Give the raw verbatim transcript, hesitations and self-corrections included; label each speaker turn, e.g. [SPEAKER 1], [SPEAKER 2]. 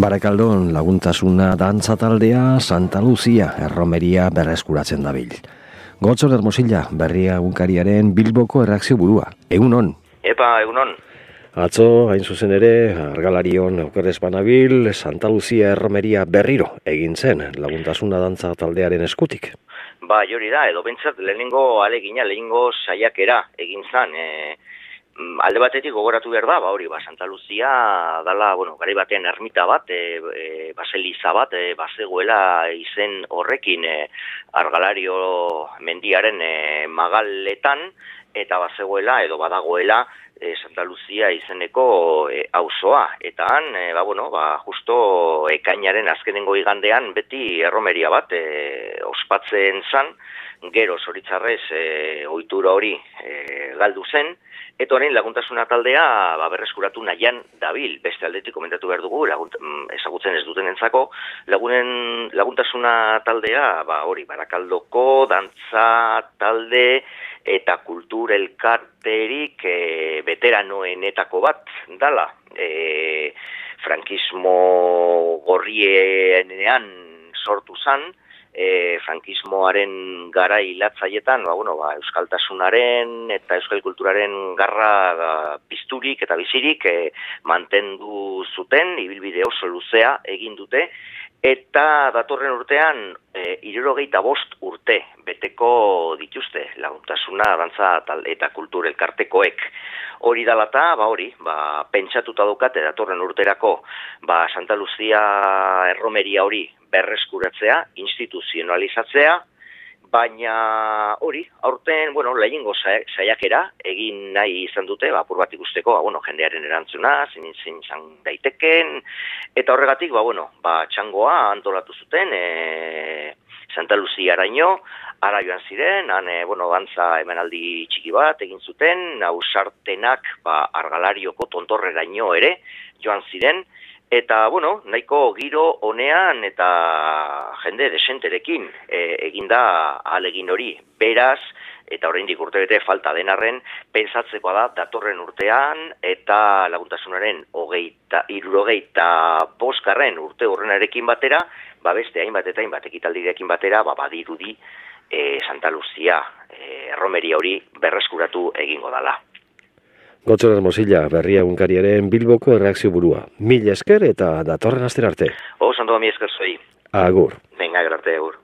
[SPEAKER 1] Barakaldon laguntasuna dantza taldea Santa Lucia erromeria berreskuratzen dabil. Gotzon Hermosilla berria egunkariaren Bilboko erreakzio burua. Egunon.
[SPEAKER 2] Epa, egunon.
[SPEAKER 1] Atzo, hain zuzen ere, argalarion okerrez banabil, Santa Lucia erromeria berriro egin zen laguntasuna dantza taldearen eskutik.
[SPEAKER 2] Ba, jori da, edo bentsat lehenengo alegina, lehenengo saiakera egin zen. E, alde batetik gogoratu behar da, ba hori, ba, Santa Lucia dala, bueno, garai batean ermita bat, e, e, baseliza bat, e, bazegoela izen horrekin e, argalario mendiaren e, magaletan, eta bazegoela edo badagoela e, Santa Lucia izeneko e, auzoa. Eta han, e, ba, bueno, ba, justo ekainaren azkenengo igandean beti erromeria bat e, ospatzen zan, gero zoritzarrez e, ohitura hori e, galdu zen, eta orain laguntasuna taldea ba, berreskuratu nahian dabil. Beste aldetik komentatu behar dugu, lagunt, ezagutzen ez dutenentzako, lagunen laguntasuna taldea, ba, hori, Barakaldoko dantza talde eta kultur elkarterik e, veteranoenetako bat dala. E, frankismo gorrienean sortu zan, E, frankismoaren gara hilatzaietan, ba, bueno, ba, euskaltasunaren eta euskal kulturaren garra ba, pizturik eta bizirik e, mantendu zuten, ibilbide oso luzea egin dute, eta datorren urtean e, hirurogeita bost urte beteko dituzte laguntasuna dantza eta kultur elkartekoek. Hori dalata, ba hori, ba, pentsatuta daukate datorren urterako ba, Santa Lucia erromeria hori berreskuratzea, instituzionalizatzea, baina hori, aurten, bueno, lehenengo saiakera egin nahi izan dute, ba, apur bat ikusteko, ba, bueno, jendearen erantzuna, zein zein izan daiteken, eta horregatik, ba, bueno, ba, txangoa antolatu zuten, e, Santa Lucia araño, ara joan ziren, han, e, bueno, dantza emanaldi txiki bat egin zuten, ausartenak, ba, argalarioko tontorreraino ere joan ziren, eta, bueno, nahiko giro honean eta jende desenterekin e, eginda ahalegin hori. Beraz, eta oraindik urtebete falta denarren, pentsatzekoa da datorren urtean eta laguntasunaren hogeita, hirurogeita bosgarren urte horrenarekin batera, ba beste hainbat eta hainbat ekitaldirekin batera, ba badirudi e, Santa Lucia e, erromeria hori berreskuratu egingo dala.
[SPEAKER 1] Gotzon Hermosilla berria egunkariaren Bilboko erreakzio burua. Mil esker eta datorren astera arte.
[SPEAKER 2] Oso ondo, mi esker zoi.
[SPEAKER 1] Agur.
[SPEAKER 2] Venga, arte, agur.